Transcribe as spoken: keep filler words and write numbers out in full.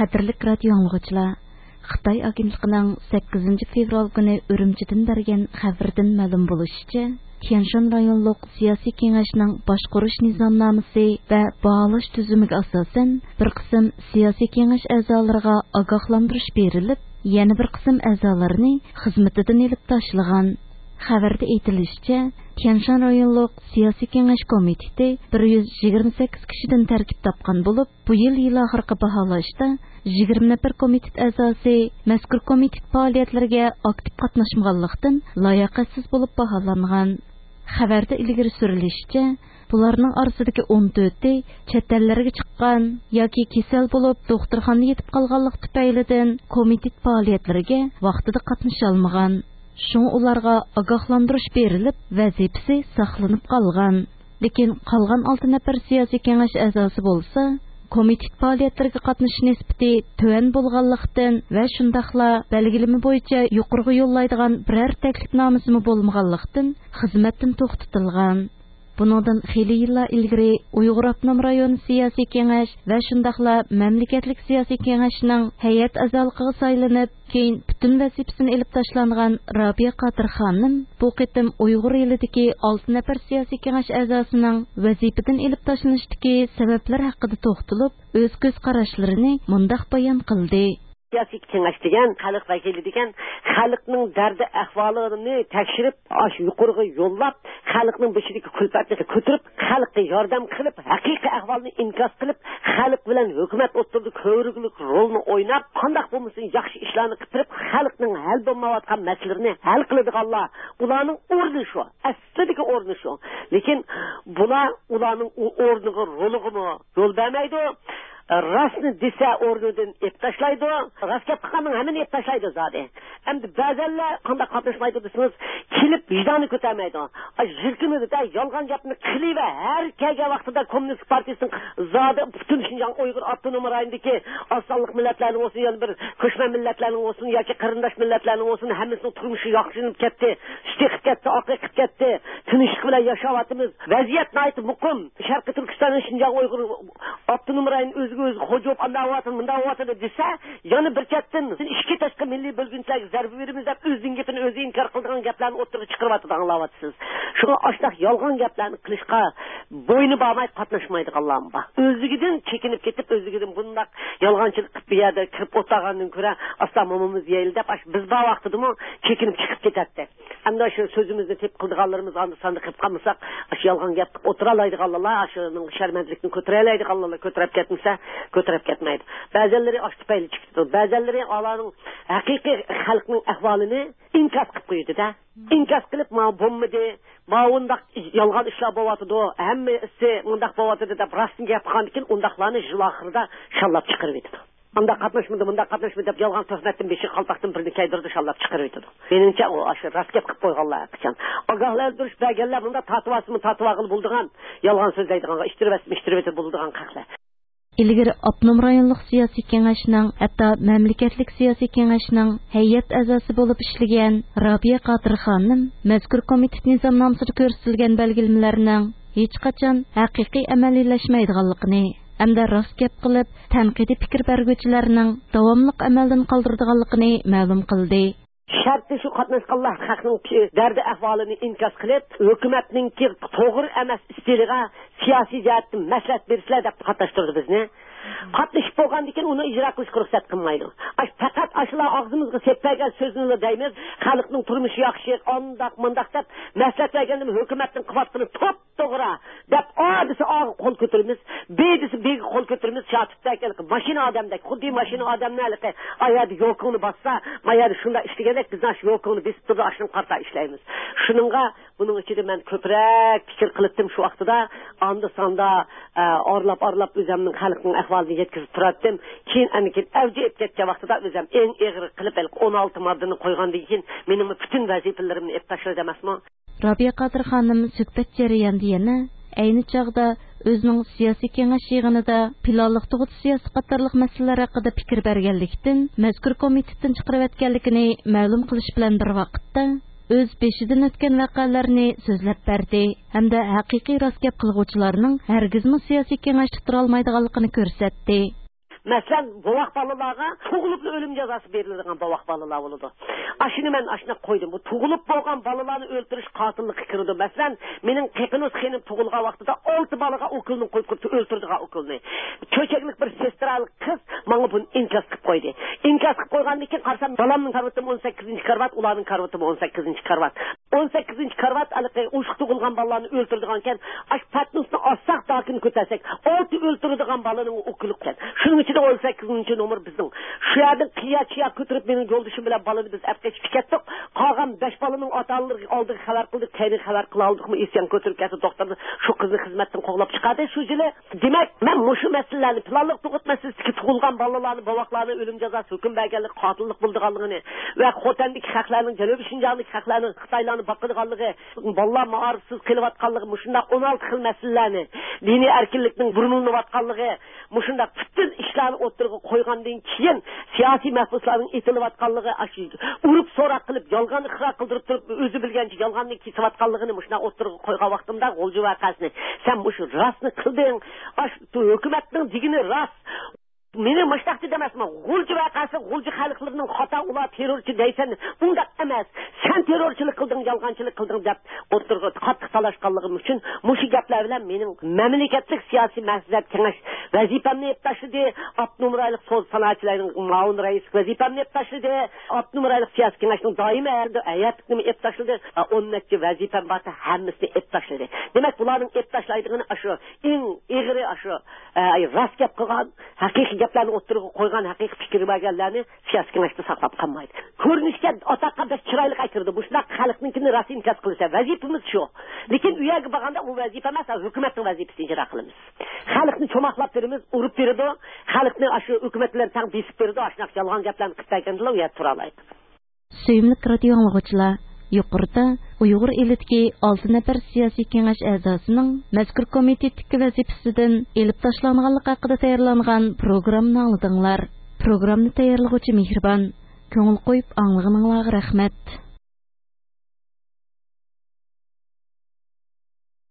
قەدىرلىك رادىيو ئاڭلىغۇچىلار، خىتاي ئاگېنتلىقىنىڭ سەككىزىنچى فېۋرال كۈنى ئۈرۈمچىدىن بەرگەن خەۋىرىدىن مەلۇم بولۇشىچە، تيەنشان رايونلۇق سىياسىي كېڭەشنىڭ باشقۇرۇش نىزامنامىسى ۋە باھالاش تۈزۈمىگە ئاساسەن، بىر قىسىم سىياسىي كېڭەش ئەزالىرىغا ئاگاھلاندۇرۇش بېرىلىپ، يەنە بىر قىسىم ئەزالارنى خىزمىتىدىن ئېلىپ تاشلىغان. خەۋەردە ئېيتىلىشىچە، تيەنشان رايونلۇق سىياسىي كېڭەش كومىتېتى بىر يۈز يىگىرمە سەككىز كىشىدىن تەركىب تاپقان بولۇپ، بۇ يىل يىل ئاخىرقى باھالاشتا يىگىرمە نەپەر كومىتېت ئەزاسى مەزكۇر كومىتېت پائالىيەتلىرىگە ئاكتىپ قاتناشمىغانلىقتىن، لاياقەتسىز بولۇپ باھالانغان. خەۋەردە ئىلگىرى سۈرۈلۈشىچە، بۇلارنىڭ ئارىسىدىكى ئون تۆتى چەت ئەللەرگە چىققان ياكى كېسەل بولۇپ، دوختۇرخانىدا يېتىپ قالغانلىق تۈپەيلىدىن، كومىتېت پائالىيەتلىرىگە ۋاقتىدا قاتنىشالمىغان. شۇڭا ئۇلارغا ئاگاھلاندۇرۇش بېرىلىپ، ۋەزىپىسى ساقلىنىپ قالغان. لېكىن قالغان ئالتە نەپەر سىياسىي كېڭەش ئەزاسى بولسا، كومىتېت پائالىيەتلىرىگە قاتنىشىش نىسبىتى تۆۋەن بولغانلىقتىن ۋە شۇنداقلا بەلگىلىمە بويىچە يۇقىرىغا يوللايدىغان بىرەر تەكلىپنامىسىمۇ بولمىغانلىقتىن، خىزمەتتىن توختىتىلغان. بۇنىڭدىن خېلى يىللار ئىلگىرى ئۇيغۇر ئاپتونوم رايون سىياسىي كېڭەش ۋە شۇنداقلا مەملىكەتلىك سىياسىي كېڭەشنىڭ ھەيئەت ئەزالىقىغا سايلىنىپ، كېيىن پۈتۈن ۋەزىپىسىنى ئېلىپ تاشلانغان رابىيە قادىر خانىم بۇ قېتىم ئۇيغۇر ئېلىدىكى ئالتە نەپەر سىياسىي كېڭەش ئەزاسىنىڭ ۋەزىپىدىن ئېلىپ تاشلىنىشتىكى سەۋەبلەر ھەققىدە توختىلىپ، ئۆز كۆز قاراشلىرىنى مۇنداق بايان قىلدى. سىياسىي كېڭەش دېگەن، خەلق ۋەكىلى دېگەن، خەلقنىڭ دەردى ئەھۋالىنى تەكشۈرۈپ، ئاشۇ يۇقىرىغا يوللاپ، خەلقنىڭ بېشىدىكى كۈلپەتنى كۆتۈرۈپ، خەلققە ياردەم قىلىپ، ھەقىقىي ئەھۋالنى ئىنكاس قىلىپ، خەلق بىلەن ھۆكۈمەت ئوتتۇرىدا كۆۋرۈكلۈك رولنى ئويناپ، قانداق بولمىسۇن ياخشى ئىشلارنى قىلىپ بېرىپ، خەلقنىڭ ھەل بولمايۋاتقان مەسىلىلىرىنى ھەل قىلىدىغانلار، ئۇلارنىڭ ئورنى شۇ. ئەسلىدىكى ئورنى شۇ. لېكىن بۇلار ئۇلارنىڭ ئۇ ئورنىغا، رولىغىمۇ يول بەرمەيدۇ. راستنى دېسە، ئورنىدىن ئېلىپ تاشلايدۇ. راست گەپ قىلغاننىڭ ھەممىنى ئېلىپ تاشلايدۇ زادى. ئەمدى بەزەنلەر قانداق قاتناشمايدۇ دېسىڭىز، كېلىپ ۋىجدانى كۆتەرمەيدۇ. ئاي، يۈرىكىمىزدە يالغان گەپنى قىلىۋە، ھەر كەلگەن ۋاقتىدا كوممۇنىست پارتىيىسىنىڭ زادى پۈتۈن شىنجاڭ ئۇيغۇر ئاپتونوم رايونىدىكى ئاز سانلىق مىللەتلەرنىڭ بولسۇن، يەنە بىر كۆچمەن مىللەتلەرنىڭ بولسۇن ياكى قېرىنداش مىللەتلەرنىڭ بولسۇن، ھەممىسىنىڭ تۇرمۇشى ياخشىلىنىپ كەتتى، سۈت ئېقىپ كەتتى، ئاق ئېقىپ كەتتى، تىنچلىق بىلەن ياشاۋاتىمىز. ۋەزىيەت ناھايىتى مۇقىم. شەرقىي تۈركىستاننىڭ شىنجاڭ ئۇيغۇر ئاپتونوم رايونى ئۆزىگە ئۆزى خوجا بولۇپ، ئانداق بولۇۋاتىدۇ، مۇنداق بولۇۋاتىدۇ دېسە، يەنە بىر چەتتىن ئىچكى تاشقى مىللىي بۆلگۈنچىلەرگە زەربە بېرىمىز دەپ، ئۆزىنىڭ گېپىنى ئۆزى ئىنكار قىلىدىغان گەپلەرنى ئوتتۇرىغا چىقىرىۋاتىدۇ، ئاڭلاۋاتىسىز. شۇڭا ئاشۇنداق يالغان گەپلەرنى قىلىشقا بوينى بارماي قاتناشمايدىغانلارمۇ بار. ئۆزلۈكىدىن چېكىنىپ كېتىپ، ئۆزلۈكىدىن بۇنداق يالغانچىلىق قىلىپ بۇ يەردە كىرىپ ئولتۇرغاندىن كۆرە، ئاستا مومىمىز يەيلى دەپ، ئاشۇ بىز بار ۋاقتىدىمۇ چېكىنىپ چىقىپ كېتەتتى. ئەمدى شۇ سۆزىمىزنى تېپىپ قىلىدىغانلىرىمىز ئاندا-ساندا قىلىپ قالمىساق، ئاشۇ يالغان گەپ قىلىپ ئولتۇرالايدىغانلار، ئاشۇنىڭ شەرمەندىلىكنى كۆتۈرەلەيدىغانلار كۆتۈرۈپ كەتمىسە، كۆتۈرۈپ كەتمەيدۇ. بەزەنلىرى ئاشۇ تۈپەيلى چىقىپ كېتىدۇ. بەزەنلىرى ئالارنىڭ ھەقىقىي خەلقنىڭ ئەھۋالىنى ئىنكاس قىلىپ قويىدۇ-دە. ئىنكاس قىلىپ، ماۋۇ بولمىدى، ماۋۇنداق يالغان ئىشلار بولۇۋاتىدۇ، ھەممىسى مۇنداق بولۇۋاتىدۇ دەپ راستىنى گەپ قىلغاندىن كېيىن، ئۇنداقلارنى يىل ئاخىرىدا شاللاپ چىقىرىۋېتىدۇ. ئانداق قاتناشمىدى، مۇنداق قاتناشمىدى دەپ يالغان تۆھمەتتىن بېشىغا قالپاقتىن بىرنى كىيدۈرىدۇ، شاللاپ چىقىرىۋېتىدۇ. مېنىڭچە، ئۇ ئاشۇ راست گەپ قىلىپ قويغانلار ھەرقاچان. ئاگاھلاندۇرۇش بەرگەنلەر مۇنداق تارتىۋالسىمۇ تارتىۋالغىلى بولىدىغان، يالغان سۆزلەيدىغانغا ئىتتىرىۋەتسىمۇ ئىتتىرىۋېتىپ بولىدىغان خەقلەر. ئىلگىرى ئاپتونوم رايونلۇق سىياسىي كېڭەشنىڭ، ھەتتا مەملىكەتلىك سىياسىي كېڭەشنىڭ ھەيئەت ئەزاسى بولۇپ ئىشلىگەن رابىيە قادىر خانىم مەزكۇر كومىتېت نىزامنامىسىدا كۆرسىتىلگەن بەلگىلىمىلەرنىڭ ھېچقاچان ھەقىقىي ئەمەلىيلەشمەيدىغانلىقىنى ھەمدە راست گەپ قىلىپ، تەنقىدىي پىكىر بەرگۈچىلەرنىڭ داۋاملىق ئەمەلدىن قالدۇرىدىغانلىقىنى مەلۇم قىلدى. شەرتى شۇ، قاتناشقانلار خەقنىڭ دەردى ئەھۋالىنى ئىنكاس قىلىپ، ھۆكۈمەتنىڭكى توغرا ئەمەس ئىستىلىغا سىياسىي جەھەتتىن مەسلىھەت بېرىشلەر دەپ قاتناشتۇردى بىزنى. قاتنىشىپ بولغاندىن كېيىن ئۇنى ئىجرا قىلىشقا رۇخسەت قىلمايدۇ. ئاش-، پەقەت ئاشۇلا ئاغزىمىزغا سېلىپ بەرگەن سۆزنىلا دەيمىز، خەلقنىڭ تۇرمۇشى ياخشى، ئانداق مۇنداق دەپ مەسلىھەت بەرگەندىمۇ ھۆكۈمەتنىڭ قىلىۋاتقىنى توپ توغرا دەپ، ئا دېسە ئاغا قول كۆتۈرىمىز، بى دېسە بىگە قول كۆتۈرىمىز. شاتۇتتەك ھېلىقى ماشىنا ئادەمدەك، خۇددى ماشىنا ئادەمنى ھېلىقى ئا يەردە يوكىڭنى باسسا، ما يەردە شۇنداق ئىشلىگەندەك، بىزنىڭ شۇ يوكىڭنى بېسىپ تۇرىدۇ، ئاشۇنىڭغا قارىتا ئىشلەيمىز. شۇنىڭغا بۇنىڭ ئىچىدە مەن كۆپرەك پىكىر قىلىپتىم شۇ ۋاقتىدا. ئاندا-ساندا، ئە، ئارىلاپ-ئارىلاپ ئۆزۈمنىڭ خەلقنىڭ ئەھۋالىنى يەتكۈزۈپ تۇراتتىم. كېيىن ئەنكىن ئەۋج ئېلىپ كەتكەن ۋاقتىدا ئۆزۈم ئەڭ ئېغىر قىلىپ ھېلىقى ئون ئالتە ماددىنى قويغاندىن كېيىن مېنىڭمۇ پۈتۈن ۋەزىپىلىرىمنى ئېلىپ تاشلىدى ئەمەسمۇ؟ رابىيە قادىر خانىم سۆھبەت جەريانىدا يەنە ئەينى چاغدا ئۆزىنىڭ سىياسىي كېڭەش يىغىنىدا پىلانلىق تۇغۇت سىياسىتى قاتارلىق مەسىلىلەر ھەققىدە پىكىر بەرگەنلىكتىن، مەزكۇر كومىتېتتىن چىقىرىۋەتكەنلىكىنى مەلۇم قىلىش بىلەن بىر ۋاقىتتا، ئۆز بېشىدىن ئۆتكەن ۋەقەلەرنى سۆزلەپ بەردى ھەمدە ھەقىقىي راست گەپ قىلغۇچىلارنىڭ ھەرگىزمۇ سىياسىي كېڭەشتە تۇرالمايدىغانلىقىنى كۆرسەتتى. مەسىلەن، بوۋاق بالىلارغا تۇغۇلۇپلا ئۆلۈم جازاسى بېرىلىدىغان بوۋاق بالىلار بولىدۇ. ئاشۇنى مەن ئاشۇنداق قويدۇم. بۇ تۇغۇلۇپ بولغان بالىلارنى ئۆلتۈرۈش قاتىللىققا كىرىدۇ. مەسىلەن، مېنىڭ قېقىنۇز خېنىم تۇغۇلغان ۋاقتىدا ئالتە بالىغا ئوكۇلنى قويۇپ قويۇپتۇ، ئۆلتۈرىدىغان ئوكۇلنى. چۆچەكلىك بىر سېسترالىق قىز ماڭا بۇنى ئىنكاس قىلىپ قويدى. ئىنكاس قىلىپ قويغاندىن كېيىن قارىسام، بالامنىڭ كارىۋىتىمۇ ئون سەككىزىنچى كارىۋات، ئۇلارنىڭ كارىۋىتىمۇ ئون سەككىزىنچى كارىۋات. ئون سەككىزىنچى كارىۋات ھېلىقى ئوشۇق تۇغۇلغان بالىلارنى ئۆلتۈرىدىغانكەن، ئاش پاتنوسنى ئاچساق، داكىنى كۆتەرسەك، ئالتە ئۆلتۈرىدىغان بالىنىڭ ئوكۇلى ئىكەن. شۇنىڭ ئىچىدە ئون سەككىزىنچى نومۇر بىزنىڭ. شۇ يەردىن قىيا چىيا كۆتۈرۈپ، مېنىڭ يولدىشىم بىلەن بالىنى بىز ئەپ قېچىپ كەتتۇق. قالغان بەش بالىنىڭ ئاتا ئانىلىرىغا ئالدىغا خەۋەر قىلدۇق، كەينىگە خەۋەر قىلالدۇقمۇ، ئىسيان كۆتۈرۈپ كەتتى. دوختۇر شۇ قىزنى خىزمەتتىن قوغلاپ چىقاردى شۇ يىلى. دېمەك، مەن مۇشۇ مەسىلىلەرنى، پىلانلىق تۇغۇت مەسىلىسىدىكى تۇغۇلغان بالىلارنى، بوۋاقلارنى ئۆلۈم جازاسى ھۆكۈم بەرگەنلىك، قاتىللىق بولىدىغانلىقىنى ۋە خوتەندىكى خەقلەرنىڭ، جەنۇبىي شىنجاڭدىكى خەقلەرنىڭ خىتايلارنى باقىدىغانلىقى، بالىلار مائارىپسىز قېلىۋاتقانلىقى، مۇشۇنداق ئون ئالتە خىل مەسىلىلەرنى، دىنىي ئەركىنلىكنىڭ بۇرمىلىنىۋاتقانلىقى، مۇشۇنداق پۈتۈن ئىشلارنى ئوتتۇرىغا قويغاندىن كېيىن، سىياسىي مەھبۇسلارنىڭ ئېتىلىۋاتقانلىقى، ئاشۇ ئۇرۇپ سوراق قىلىپ، يالغان ئىقرار قىلدۇرۇپ تۇرۇپ، ئۆزى بىلگەنچە يالغاندىن كېسىۋاتقانلىقىنى مۇشۇنداق ئوتتۇرىغا قويغان ۋاقتىمدا، غۇلجا ۋەقەسىنى، سەن مۇشۇ راستنى قىلدىڭ، ئاشۇ ھۆكۈمەتنىڭ دېگىنى راست. مېنى مۇشۇنداق دېدى ئەمەسمۇ، غۇلجا ۋەقەسى، غۇلجا خەلقلىرىنىڭ خاتا، ئۇلار تېررورچى دەيسەن، ئۇنداق ئەمەس، سەن تېررورچىلىق قىلدىڭ، يالغانچىلىق قىلدىڭ دەپ ئوتتۇرىغا قاتتىق تالاشقانلىقىم ئۈچۈن مۇشۇ گەپلەر بىلەن مېنىڭ مەملىكەتلىك سىياسىي مەسلىھەت كېڭەش ۋەزىپەمنى ئېلىپ تاشلىدى، ئاپتونوم رايونلۇق سودا سانائەتچىلەرنىڭ مۇئاۋىن رەئىسلىك ۋەزىپەمنى ئېلىپ تاشلىدى، ئاپتونوم رايونلۇق سىياسىي كېڭەشنىڭ دائىمىي ھەيئەتلىكىنى ئېلىپ تاشلىدى، ئون نەچچە ۋەزىپەم بارتى، ھەممىسىنى ئېلىپ تاشلىدى. دېمەك، بۇلارنىڭ ئېلىپ تاشلايدىغىنى ئاشۇ، ئەڭ ئېغىرى ئاشۇ، ئە، راست گەپ قىلغان، ھەقىقىي گەپلەرنى ئوتتۇرىغا قويغان، ھەقىقىي پىكىر بەرگەنلەرنى سىياسىي كېڭەشتە ساقلاپ قالمايدۇ. كۆرۈنۈشكە ئاتاققا بەك چىرايلىق ئەكىردى. مۇشۇنداق خەلقنىڭكىنى راست ئىنكاس قىلىسەن. ۋەزىپىمىز شۇ. لېكىن ئۇ يەرگە بارغاندا ئۇ ۋەزىپە ئەمەس، ھۆكۈمەتنىڭ ۋەزىپىسىنى ئىجرا قىلىمىز. خەلقنى چوماقلاپ بېرىمىز، ئۇرۇپ بېرىدۇ. خەلقنى ئاشۇ ھۆكۈمەت بىلەن تەڭ بېسىپ بېرىدۇ. ئاشۇنداق يالغان گەپلەرنى قىلىپ بەرگەندىلا ئۇ يەردە تۇرالايدۇ. سۆيۈملۈك رادىئو ئاڭلىغۇچىلار، يۇقىرىدا ئۇيغۇر ئېلىدىكى ئالتە نەپەر سىياسىي كېڭەش ئەزاسىنىڭ مەزكۇر كومىتېتتىكى ۋەزىپىسىدىن ئېلىپ تاشلانغانلىقى ھەققىدە تەييارلانغان پروگراممىنى ئاڭلىدىڭلار. پروگراممىنى تەييارلىغۇچى مېھرىبان. كۆڭۈل قويۇپ ئاڭلىغىنىڭلارغا رەھمەت.